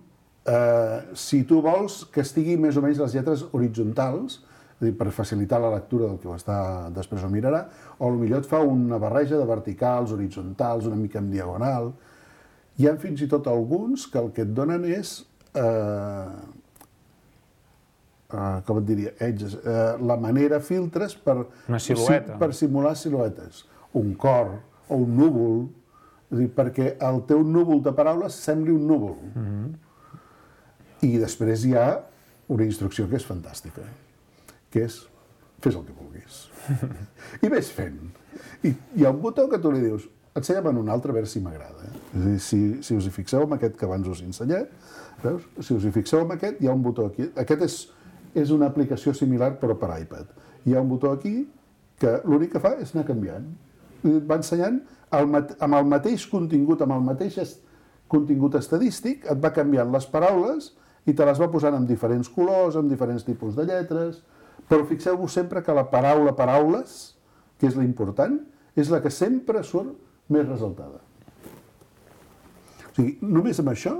Si tu vols que estigui més o menys les lletres horitzontals, per facilitar la lectura del que després ho mirarà, o potser et fa una barreja de verticals, horitzontals, una mica en diagonal. Hi ha fins i tot alguns que el que et donen és, com et diria, la manera, filtres per simular siluetes. Un cor o un núvol, perquè el teu núvol de paraules sembli un núvol. I després hi ha una instrucció que és fantàstica, que és fes el que vulguis. I ves fent. I hi ha un botó que tu li dius ensenya'm en un altre a veure si m'agrada. És a dir, si us hi fixeu en aquest que abans us he ensenyat, veus? Si us hi fixeu en aquest, hi ha un botó aquí. Aquest és una aplicació similar però per iPad. Hi ha un botó aquí que l'únic que fa és anar canviant. Va ensenyant amb el mateix contingut, amb el mateix contingut estadístic, et va canviant les paraules i te les va posant amb diferents colors, amb diferents tipus de lletres, però fixeu-vos sempre que la paraula paraules, que és l'important, és la que sempre surt més ressaltada. O sigui, només amb això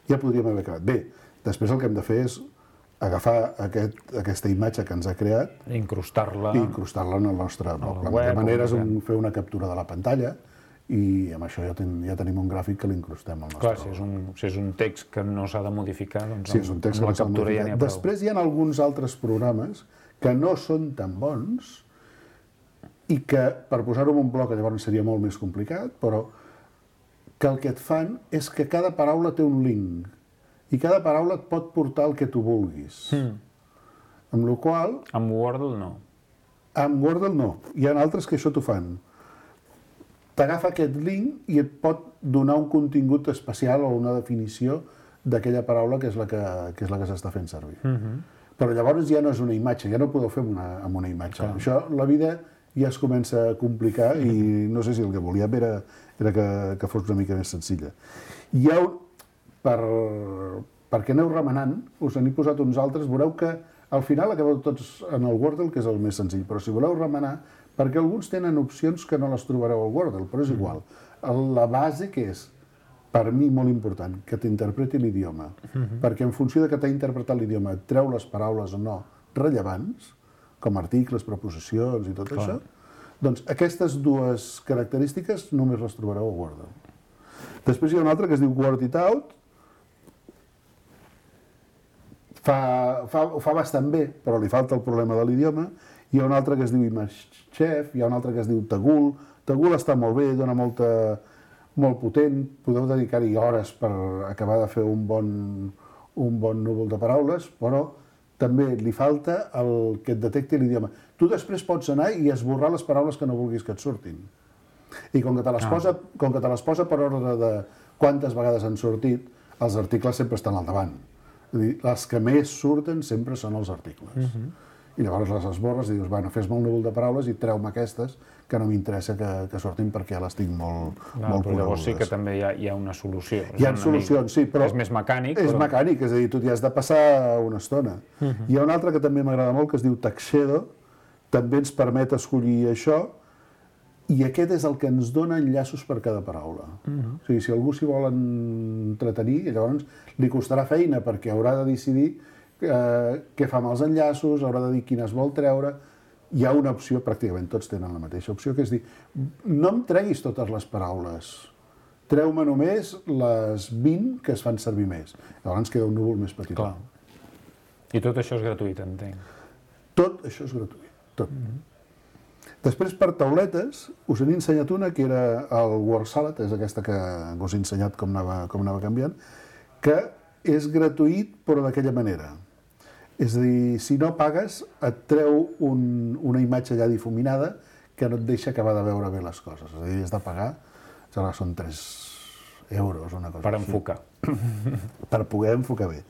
ja podríem haver acabat. Bé, després el que hem de fer és agafar aquesta imatge que ens ha creat i incrustar-la en el nostre blog. La millor manera és fer una captura de la pantalla i amb això ja tenim un gràfic que l'incrustem al nostre blog. Clar, si és un text que no s'ha de modificar, doncs amb la captura ja n'hi ha prou. Després hi ha alguns altres programes que no són tan bons i que, per posar-ho en un bloc, llavors seria molt més complicat, però que el que et fan és que cada paraula té un link i cada paraula et pot portar el que tu vulguis. Amb la qual cosa... Amb Wordle no. Amb Wordle no. Hi ha altres que això t'ho fan. T'agafa aquest link i et pot donar un contingut especial o una definició d'aquella paraula que és la que s'està fent servir. Però llavors ja no és una imatge, ja no ho podeu fer amb una imatge. Això, la vida ja es comença a complicar i no sé si el que volíem era que fos una mica més senzilla. Hi ha perquè aneu remenant, us n'he posat uns altres, veureu que al final acabeu tots en el Wordle, que és el més senzill, però si voleu remenar, perquè alguns tenen opcions que no les trobareu al Wordle, però és igual. La base que és, per mi molt important, que t'interpreti l'idioma, perquè en funció de que t'ha interpretat l'idioma et treu les paraules o no rellevants, com articles, preposicions i tot això, doncs aquestes dues característiques només les trobareu al Wordle. Després hi ha una altra que es diu Word It Out, ho fa bastant bé, però li falta el problema de l'idioma. Hi ha un altre que es diu ImageChef, hi ha un altre que es diu Tagul. Tagul està molt bé, dona molt potent, podeu dedicar-hi hores per acabar de fer un un bon núvol de paraules, però també li falta el que et detecti l'idioma. Tu després pots anar i esborrar les paraules que no vulguis que et surtin. I com que te les posa per ordre de quantes vegades han sortit, els articles sempre estan al davant. És a dir, les que més surten sempre són els articles. I llavors les esborres i dius, bueno, fes-me un núvol de paraules i treu-me aquestes que no m'interessa que surtin perquè ja les tinc molt Però llavors sí que també hi ha una solució. Hi ha solucions, sí, però... És més mecànic. És mecànic, és a dir, tu t'hi has de passar una estona. Hi ha un altre que també m'agrada molt, que es diu Taxedo, també ens permet escollir això, i aquest és el que ens dona enllaços per cada paraula. O sigui, si algú s'hi vol entretenir, llavors li costarà feina perquè haurà de decidir què fa amb els enllaços, haurà de dir quines vol treure. Hi ha una opció, pràcticament tots tenen la mateixa opció, que és dir, no em treguis totes les paraules, treu-me només les 20 que es fan servir més. Llavors queda un núvol més petit. Clar. I tot això és gratuït, entenc. Tot això és gratuït, tot. Després, per tauletes, us he ensenyat una, que era el Word Salad, és aquesta que us he ensenyat com anava canviant, que és gratuït, però d'aquella manera. És a dir, si no pagues, et treu una imatge ja difuminada que no et deixa acabar de veure bé les coses. És a dir, has de pagar, són 3 euros, una cosa Per així. enfocar. Per poder enfocar bé.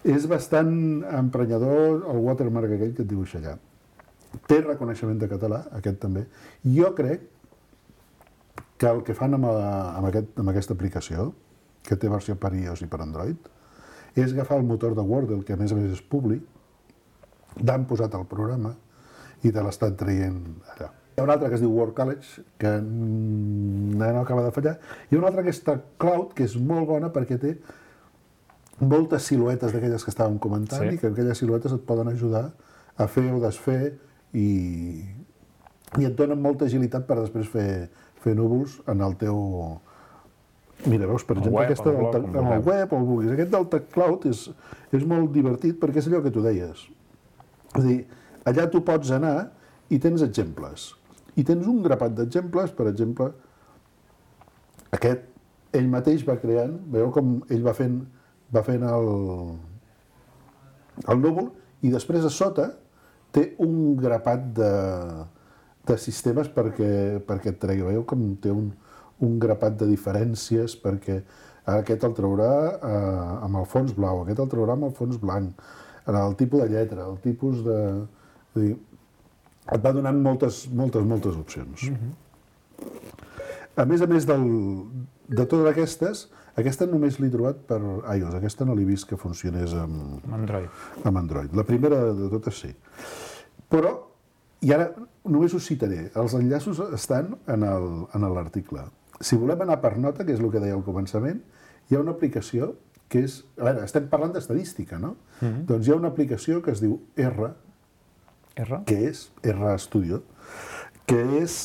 És bastant emprenyador el watermark aquell que et dibuixa allà. Té reconeixement de català, aquest també. Jo crec que el que fan amb aquesta aplicació, que té versió per iOS i per Android, és agafar el motor de Wordle, que a més és públic, l'han posat al programa i te l'estan traient allà. Hi ha un altre que es diu Word College, que no acaba de fallar, i un altre que és Cloud, que és molt bona perquè té moltes siluetes d'aquelles que estàvem comentant i que aquelles siluetes et poden ajudar a fer o desfer i et donen molta agilitat per després fer núvols en el teu... Mira, veus, per exemple, aquesta amb el web o el vulguis. Aquest del TechCloud és molt divertit perquè és allò que tu deies. És a dir, allà tu pots anar i tens exemples. I tens un grapat d'exemples, per exemple, aquest ell mateix va creant, veieu com ell va fent el núvol i després a sota té un grapat de sistemes perquè et tregui. Veieu com té un grapat de diferències perquè aquest el traurà amb el fons blau, aquest el traurà amb el fons blanc, el tipus de lletra, el tipus de... És a dir, et va donant moltes opcions. A més de totes aquestes, aquesta només l'he trobat per iOS, aquesta no l'he vist que funcionés amb Android. La primera de totes sí. Però, i ara només us citaré, els enllaços estan en l'article. Si volem anar per nota, que és el que deia al començament, hi ha una aplicació que és... A veure, estem parlant d'estadística, no? Doncs hi ha una aplicació que es diu R, que és R Studio, que és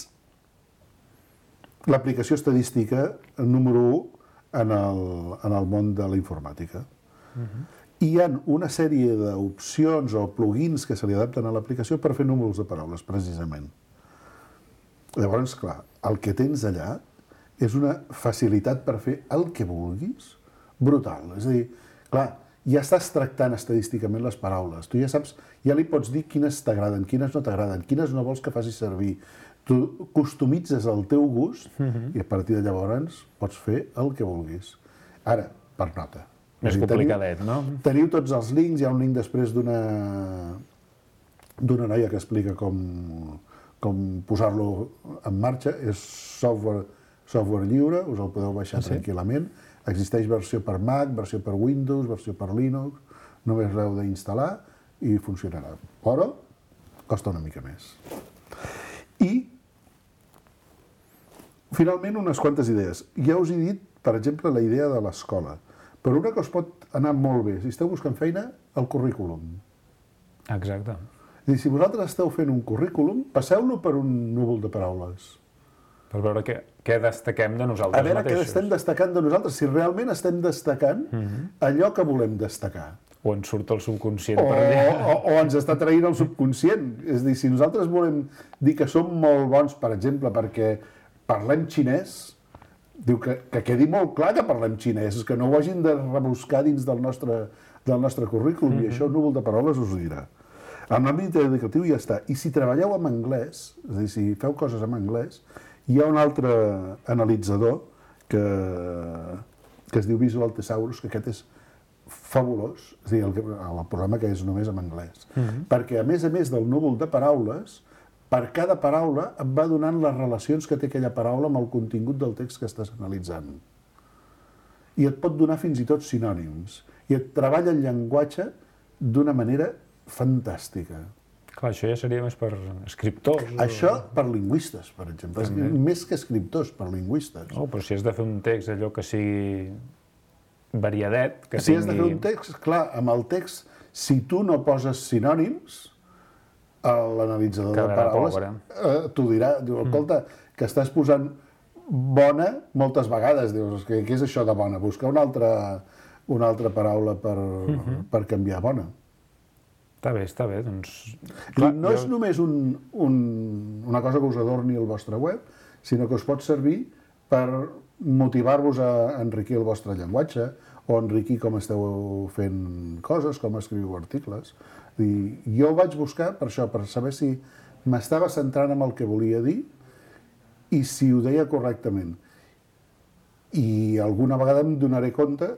l'aplicació estadística número 1 en el món de la informàtica. I hi ha una sèrie d'opcions o plugins que se li adapten a l'aplicació per fer números de paraules, precisament. Llavors, clar, el que tens allà és una facilitat per fer el que vulguis brutal. És a dir, clar, ja estàs tractant estadísticament les paraules. Tu ja saps, ja li pots dir quines t'agraden, quines no t'agraden, quines no vols que faci servir. Tu customitzes el teu gust i a partir de llavors pots fer el que vulguis. Ara, per nota. Més complicadet, no? Teniu tots els links, hi ha un link després d'una noia que explica com posar-lo en marxa. És software lliure, us el podeu baixar tranquil·lament. Existeix versió per Mac, versió per Windows, versió per Linux, només l'heu d'instal·lar i funcionarà. Però costa una mica més. I, finalment, unes quantes idees. Ja us he dit, per exemple, la idea de l'escola. Però una que us pot anar molt bé, si esteu buscant feina, el currículum. Exacte. És a dir, si vosaltres esteu fent un currículum, passeu-lo per un núvol de paraules. Per veure què destaquem de nosaltres mateixos. A veure què estem destacant de nosaltres, si realment estem destacant allò que volem destacar. O ens surt el subconscient per allà. O ens està traient el subconscient. És a dir, si nosaltres volem dir que som molt bons, per exemple, perquè parlem xinès, Diu que quedi molt clar que parlem xinès, que no ho hagin de rebuscar dins del nostre currículum, i això el núvol de paraules us ho dirà. En l'àmbit educatiu ja està. I si treballeu en anglès, és a dir, si feu coses en anglès, hi ha un altre analitzador que es diu Visual Thesaurus, que aquest és fabulós, és a dir, el programa que és només en anglès. Perquè a més del núvol de paraules, per cada paraula et va donant les relacions que té aquella paraula amb el contingut del text que estàs analitzant. I et pot donar fins i tot sinònims. I et treballa el llenguatge d'una manera fantàstica. Clar, això ja seria més per escriptors. Això per lingüistes, per exemple. Més que escriptors, per lingüistes. Oh, però si has de fer un text allò que sigui variadet, que si has de fer un text, clar, amb el text, si tu no poses sinònims, l'analitzador de paraules t'ho dirà. Diu, escolta, que estàs posant bona moltes vegades. Dius, què és això de bona? Buscar una altra paraula per canviar bona. Està bé, doncs... No és només una cosa que us adorni el vostre web, sinó que us pot servir per motivar-vos a enriquir el vostre llenguatge o enriquir com esteu fent coses, com escriviu articles. Jo ho vaig buscar per això, per saber si m'estava centrant en el que volia dir i si ho deia correctament. I alguna vegada em donaré compte.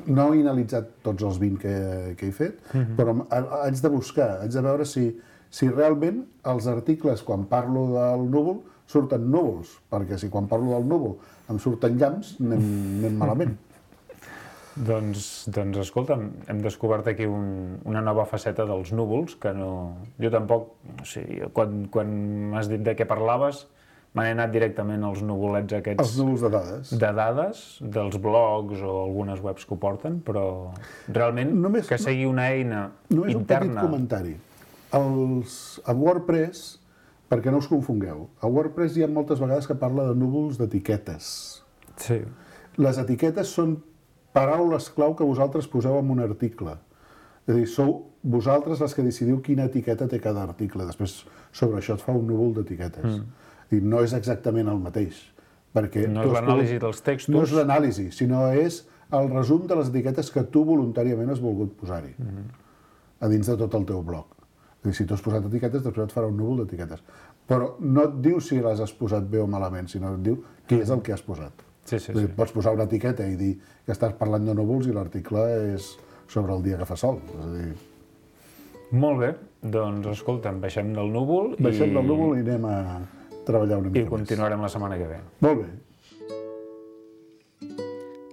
No he analitzat tots els 20 que he fet, però haig de buscar, haig de veure si realment els articles, quan parlo del núvol, surten núvols, perquè si quan parlo del núvol em surten llamps, anem malament. Doncs escolta'm, hem descobert aquí una nova faceta dels núvols, que no... Jo tampoc, o sigui, quan m'has dit de què parlaves, m'han anat directament als nuvolets aquests... Els núvols de dades. De dades, dels blogs o algunes webs que ho porten, però realment que sigui una eina interna... Només un petit comentari. A WordPress, perquè no us confongueu, a WordPress hi ha moltes vegades que parla de núvols d'etiquetes. Sí. Les etiquetes són paraules clau que vosaltres poseu en un article. És a dir, sou vosaltres les que decidiu quina etiqueta té cada article. Després, sobre això et fa un núvol d'etiquetes. I no és exactament el mateix. No és l'anàlisi dels textos. No és l'anàlisi, sinó és el resum de les etiquetes que tu voluntàriament has volgut posar-hi, a dins de tot el teu blog. És a dir, si tu has posat etiquetes, després et farà un núvol d'etiquetes. Però no et diu si les has posat bé o malament, sinó et diu què és el que has posat. Sí. Pots posar una etiqueta i dir que estàs parlant de núvols i l'article és sobre el dia que fa sol. És a dir... Molt bé, doncs escolta'm, baixem del núvol i anem a treballar una mica més. I continuarem la setmana que ve. Molt bé.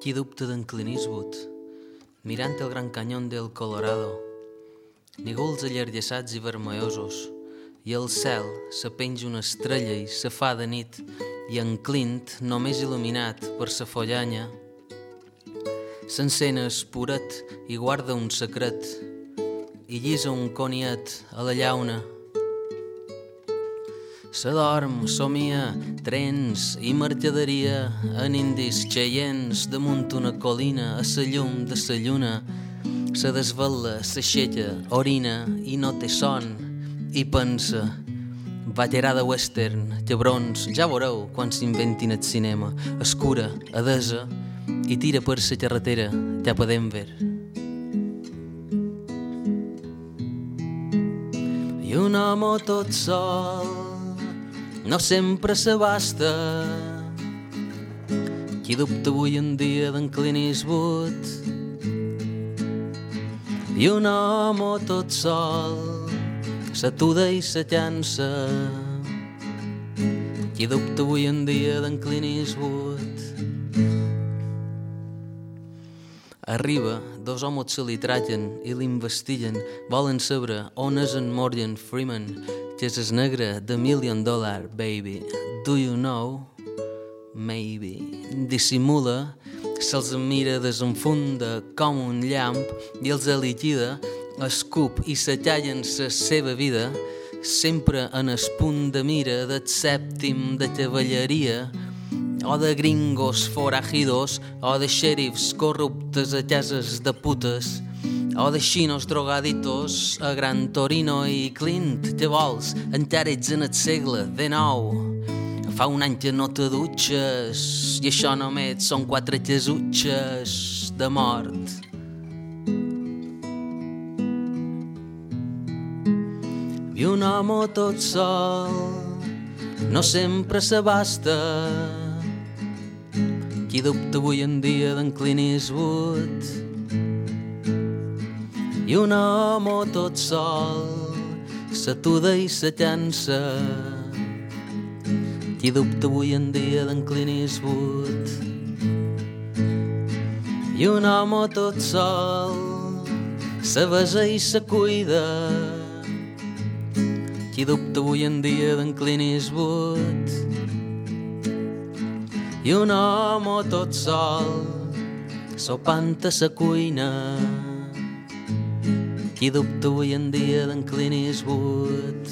Qui dubta d'en Clint Eastwood, mirant el gran canyón del Colorado, nígols allargassats i vermellosos, i al cel se penja una estrella i se fa de nit, i en Clint, només il·luminat per sa follanya, s'encén espuret i guarda un secret, i llisa un coniet a la llauna. S'adorm, somia, trens i mercaderia en indis xeients damunt una colina a sa llum de sa lluna. Se desvetla, s'aixeca, orina i no té son i pensa: batllera de western, cabrons, ja veureu quan s'inventin el cinema. Escura, adesa i tira per sa carretera cap a Denver. I un home tot sol no sempre s'abasta. Qui dubta avui en dia d'en Clint Eastwood? I un home tot sol s'atuda i se llança. Qui dubta avui en dia d'en Clint Eastwood? Arriba, dos homes se li trallen i l'investiguen. Volen saber on és en Morgan Freeman, que és el negre de $1 Million, baby. Do you know? Maybe. Dissimula, se'ls mira, desenfunda com un llamp i els liquida, escup i se tallen la seva vida, sempre en el punt de mira del sèptim de cavalleria, o de gringos forajidos, o de xèrifs corruptes a cases de putes, o de xinos drogaditos a Gran Torino. I Clint, què vols? Encara ets en el segle XIX. Fa un any que no te dutxes i això només són 4 jesutxes de mort. I un home tot sol no sempre s'abasta. Qui dubta avui en dia d'en Clint Eastwood? I un home tot sol s'atuda i se llança. Qui dubta avui en dia d'en Clint Eastwood? I un home tot sol se besa i se cuida. Qui dubta avui en dia d'en Clint Eastwood? I un home tot sol sopant a sa cuina. Qui dubta avui en dia d'en Clint Eastwood?